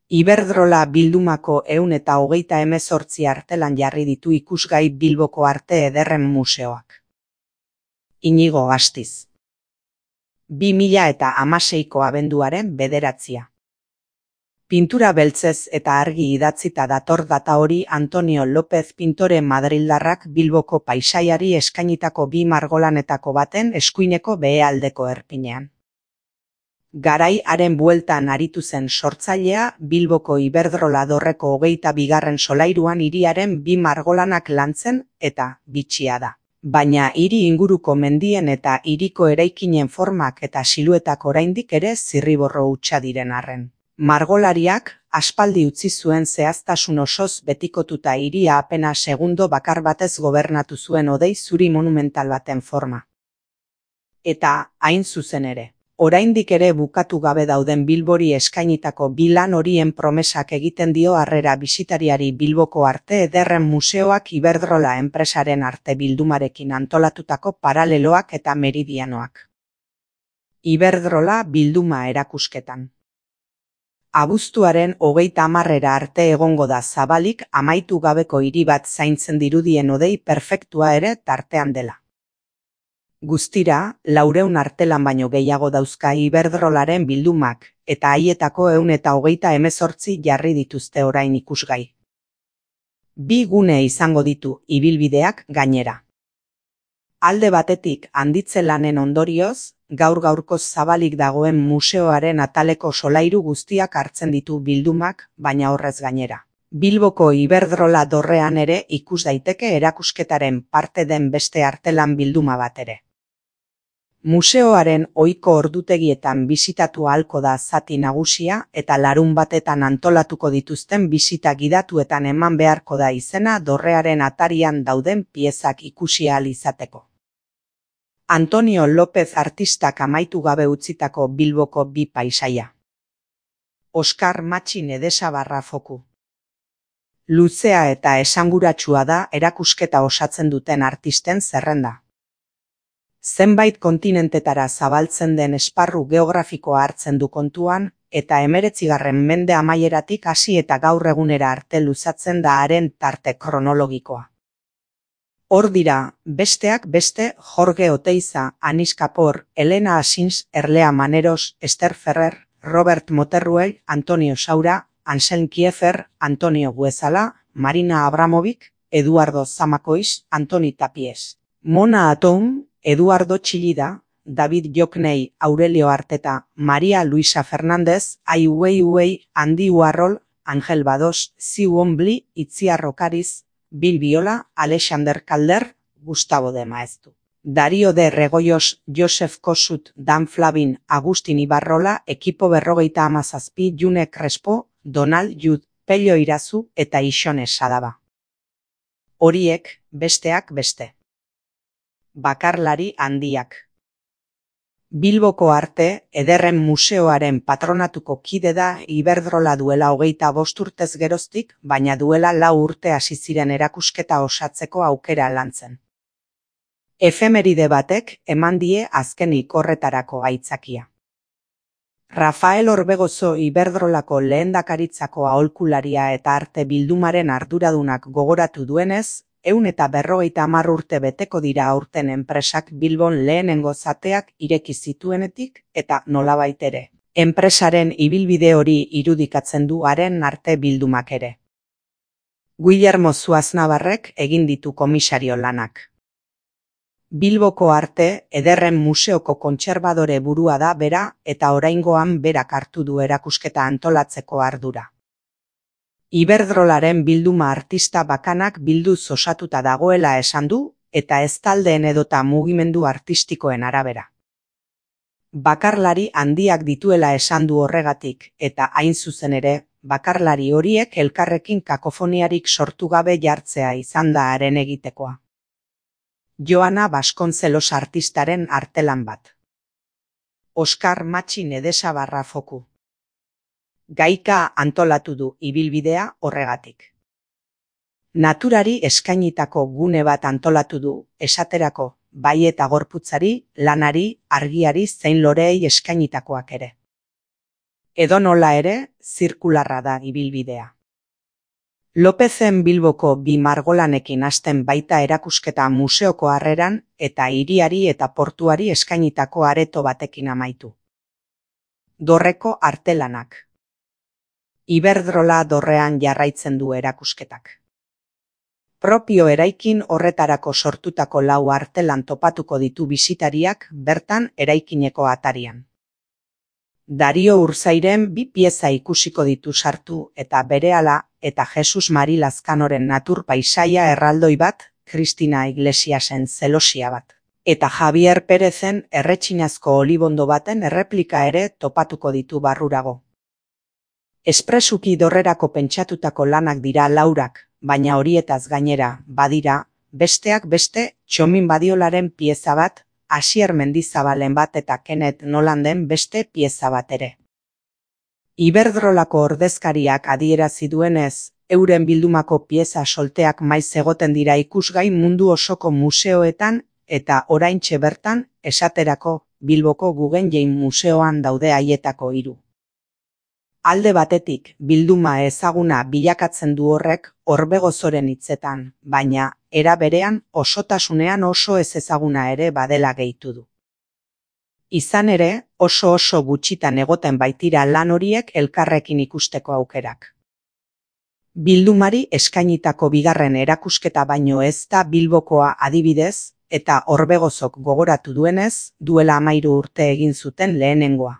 Iberdrola bildumako 128 artelan jarri ditu ikusgai Bilboko Arte Ederren Museoak. Inigo Astiz. 2016ko abenduaren 9. Pintura beltzez eta argi idatzita dator data hori Antonio López pintore madrildarrak Bilboko paisaiari eskainitako 2 margolanetako baten eskuineko behealdeko erpinean. Garai haren bueltan aritu zen sortzailea Bilboko Iberdrola dorreko 22. solairuan hiriaren 2 margolanak lantzen eta bitxia da. Baina hiri inguruko mendien eta hiriko eraikinen formak eta siluetak oraindik ere zirriborro hutsa diren arren. Margolariak aspaldi utzi zuen zehaztasun osoz betikotuta hiria apena segundo bakar batez gobernatu zuen hodei zuri monumental baten forma. Eta hain zuzen ere. Oraindik ere bukatu gabe dauden Bilbori eskainitako 2 lan horien promesak egiten dio harrera bisitariari Bilboko Arte Ederren Museoak Iberdrola enpresaren arte bildumarekin antolatutako paraleloak eta meridianoak. Iberdrola bilduma erakusketan. Abuztuaren 30 arte egongo da zabalik amaitu gabeko hiri bat zaintzen dirudien hodei perfektua ere tartean dela. Guztira, 400 artelan baino gehiago dauzka Iberdrolaren bildumak, eta haietako 128 jarri dituzte orain ikusgai. 2 gune izango ditu ibilbideak gainera. Alde batetik handitze lanen ondorioz, gaur-gaurkoz zabalik dagoen museoaren ataleko solairu guztiak hartzen ditu bildumak, baina horrez gainera. Bilboko Iberdrola dorrean ere ikus daiteke erakusketaren parte den beste artelan bilduma bat ere. Museoaren ohiko ordutegietan bisitatu ahalko da zati nagusia eta larunbatetan antolatuko dituzten bisita gidatuetan eman beharko da izena dorrearen atarian dauden piezak ikusi ahal izateko. Antonio López artistak amaitu gabe utzitako Bilboko 2 paisaia. Oskar Matxin Edesabarra foku. Luzea eta esanguratsua da erakusketa osatzen duten artisten zerrenda. Zenbait kontinentetara zabaltzen den esparru geografikoa hartzen du kontuan, eta 19. mende amaieratik hasi eta gaur egunera arte luzatzen da haren tarte kronologikoa. Hor dira, besteak beste Jorge Oteiza, Anis Kapor, Elena Asins, Erlea Maneros, Esther Ferrer, Robert Moterruel, Antonio Saura, Anselm Kiefer, Antonio Guezala, Marina Abramovic, Eduardo Zamacois, Antoni Tapies, Mona Atoum, Eduardo Chillida, David Jokney, Aurelio Arteta, María Luisa Fernández, Ai Weiwei, Andy Warhol, Ángel Bados, Ziu Ombli, Itziar Okariz, Bill Viola, Alexander Calder, Gustavo de Maeztu, Darío de Regoyos, Joseph Kossuth, Dan Flavin, Agustin Ibarrola, Ekipo 57, June Crespo, Donald Judd, Pello Irazu eta Ixone Sadaba. Horiek, besteak beste. Bakarlari handiak. Bilboko Arte Ederren Museoaren patronatuko kide da Iberdrola duela 25 urtez geroztik, baina duela 4 urte hasi ziren erakusketa osatzeko aukera lantzen. Efemeride batek eman die azkenik horretarako aitzakia. Rafael Orbegozo Iberdrolako lehendakaritzako aholkularia eta arte bildumaren arduradunak gogoratu duenez, 150 urte beteko dira aurten enpresak Bilbon lehenengo zateak ireki zituenetik eta nolabait ere. Enpresaren ibilbide hori irudikatzen du haren arte bildumak ere. Guillermo Zuaznabarrek egin ditu komisario lanak. Bilboko Arte Ederren Museoko kontserbadore burua da bera eta oraingoan berak hartu du erakusketa antolatzeko ardura. Iberdrolaren bilduma artista bakanak bilduz osatuta dagoela esan du, eta ez taldeen edota mugimendu artistikoen arabera. Bakarlari handiak dituela esan du horregatik, eta hain zuzen ere, bakarlari horiek elkarrekin kakofoniarik sortu gabe jartzea izan da haren egitekoa. Joana Vasconcelos artistaren artelan bat. Oskar Matxin Edesabarra foku. Gaika antolatu du ibilbidea horregatik. Naturari eskainitako gune bat antolatu du, esaterako, bai eta gorputzari, lanari, argiari zein loreei eskainitakoak ere. Edonola ere, zirkularra da ibilbidea. Lopezen Bilboko bi margolanekin hasten baita erakusketa museoko harreran eta hiriari eta portuari eskainitako areto batekin amaitu. Dorreko artelanak. Iberdrola dorrean jarraitzen du erakusketak. Propio eraikin horretarako sortutako 4 artelan topatuko ditu bisitariak bertan eraikineko atarian. Dario Urzairen 2 pieza ikusiko ditu sartu eta berehala eta Jesus Mari Lazkanoren natur paisaia erraldoi bat, Kristina Iglesiasen zelosia bat, eta Javier Perezen erretxinazko olibondo baten erreplika ere topatuko ditu barrurago. Espresuki dorrerako pentsatutako lanak dira 4, baina horietaz gainera, badira, besteak beste, Txomin Badiolaren pieza bat, Asier Mendizabalen bat eta Kenneth Nolanden beste pieza bat ere. Iberdrolako ordezkariak adierazi duenez, euren bildumako pieza solteak maiz egoten dira ikusgai mundu osoko museoetan eta oraintxe bertan, esaterako, Bilboko Guggenheim Museoan daude haietako 3. Alde batetik, bilduma ezaguna bilakatzen du horrek Orbegozoren hitzetan, baina, era berean osotasunean oso ez ezaguna ere badela gehitu du. Izan ere, oso gutxitan egoten baitira lan horiek elkarrekin ikusteko aukerak. Bildumari eskainitako bigarren erakusketa baino ez da Bilbokoa adibidez, eta Orbegozok gogoratu duenez, duela 13 urte egin zuten lehenengoa.